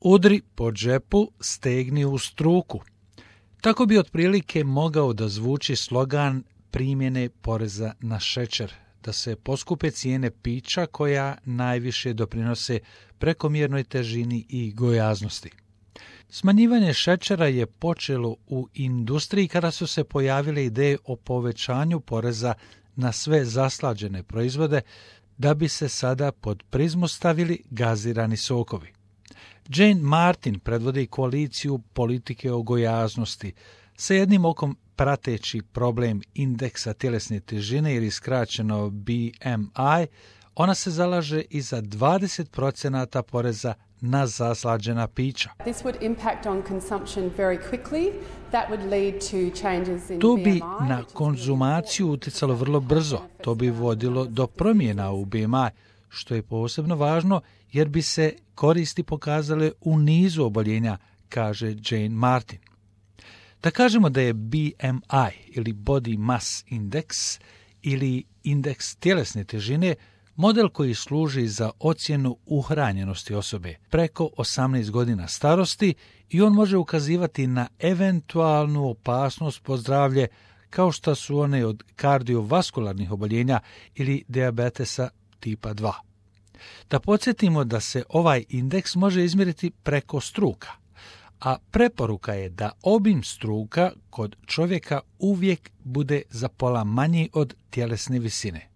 Udri po džepu, stegni u struku. Tako bi otprilike mogao da zvuči slogan primjene poreza na šećer, da se poskupe cijene pića koja najviše doprinose prekomjernoj težini i gojaznosti. Smanjivanje šećera je počelo u industriji kada su se pojavile ideje o povećanju poreza na sve zaslađene proizvode, da bi se sada pod prizmu stavili gazirani sokovi. Jane Martin predvodi koaliciju politike o gojaznosti, sa jednim okom prateći problem indeksa tjelesne težine ili skraćeno BMI. Ona se zalaže i za 20% poreza na zaslađena pića. To bi na konzumaciju utjecalo vrlo brzo. To bi vodilo do promjena u BMI, što je posebno važno jer bi se koristi pokazale u nizu oboljenja, kaže Jane Martin. Da kažemo da je BMI ili Body Mass Index ili indeks tjelesne težine model koji služi za ocjenu uhranjenosti osobe preko 18 godina starosti i on može ukazivati na eventualnu opasnost po zdravlje kao što su one od kardiovaskularnih oboljenja ili dijabetesa tipa 2. Da podsjetimo da se ovaj indeks može izmjeriti preko struka, a preporuka je da obim struka kod čovjeka uvijek bude za pola manji od tjelesne visine.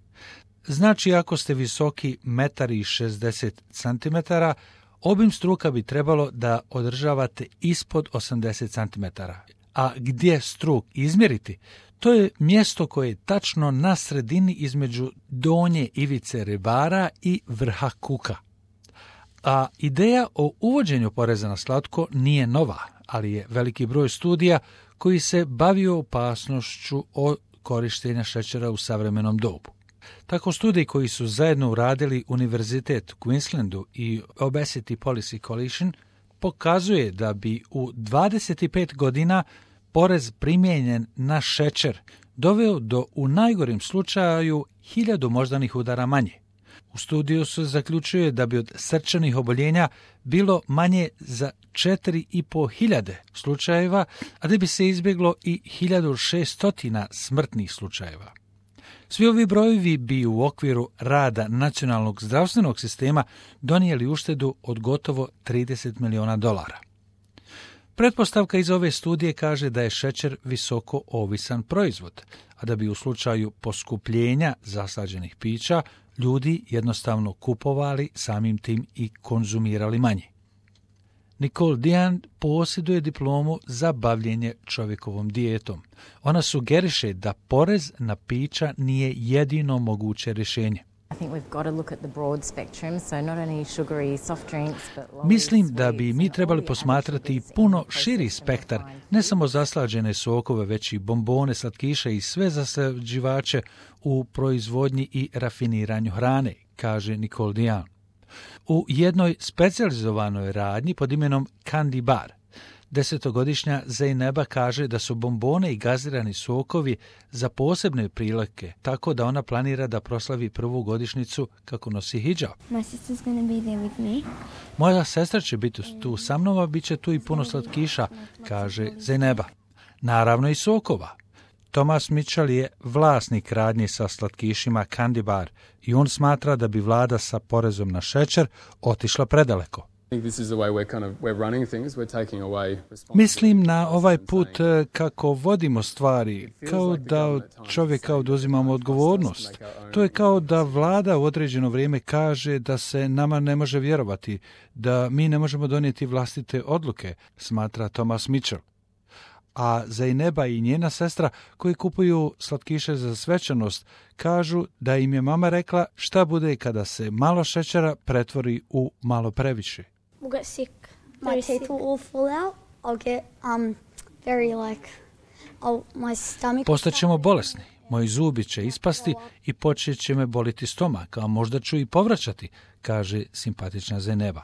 Znači, ako ste visoki 1,60 cm, obim struka bi trebalo da održavate ispod 80 cm. A gdje struk izmjeriti? To je mjesto koje je tačno na sredini između donje ivice rebara i vrha kuka. A ideja o uvođenju poreza na slatko nije nova, ali je veliki broj studija koji se bavio opasnošću od korištenja šećera u savremenom dobu. Tako studiji koji su zajedno uradili Univerzitet u Queenslandu i Obesity Policy Coalition pokazuje da bi u 25 godina porez primijenjen na šećer doveo do u najgorim slučaju 1000 moždanih udara manje. U studiju se zaključuje da bi od srčanih oboljenja bilo manje za 4500 slučajeva, a da bi se izbjeglo i 1600 smrtnih slučajeva. Svi ovi brojevi bi u okviru rada nacionalnog zdravstvenog sistema donijeli uštedu od gotovo $30 miliona. Pretpostavka iz ove studije kaže da je šećer visoko ovisan proizvod, a da bi u slučaju poskupljenja zaslađenih pića ljudi jednostavno kupovali, samim tim i konzumirali manje. Nicole Dian posjeduje diplomu za bavljenje čovjekovom dijetom. Ona sugeriše da porez na pića nije jedino moguće rješenje. Mislim da bi mi trebali posmatrati puno širi spektar, ne samo zaslađene sokove, već i bombone, slatkiše i sve zaslađivače u proizvodnji i rafiniranju hrane, kaže Nicole Dian. U jednoj specijalizovanoj radnji pod imenom Candy Bar, 10-godišnja Zeyneba kaže da su bombone i gazirani sokovi za posebne prilike, tako da ona planira da proslavi prvu godišnjicu kako nosi hidžab. Moja sestra će biti tu sa mnom, a bit će tu i puno slatkiša, kaže Zeyneba. Naravno i sokova. Thomas Mitchell je vlasnik radnje sa slatkišima Candy Bar i on smatra da bi vlada sa porezom na šećer otišla predaleko. Mislim na ovaj put kako vodimo stvari, kao da od čovjeka oduzimamo odgovornost. To je kao da vlada u određeno vrijeme kaže da se nama ne može vjerovati, da mi ne možemo donijeti vlastite odluke, smatra Thomas Mitchell. A Zeyneba i njena sestra koji kupuju slatkiše za svečanost kažu da im je mama rekla šta bude kada se malo šećera pretvori u malo previše. We'll get sick. My teeth will all fall out. I'll get my stomach. Postaćemo bolesni. Moji zubi će ispasti i počet će me boliti stomak, a možda ću i povraćati, kaže simpatična Zeyneba.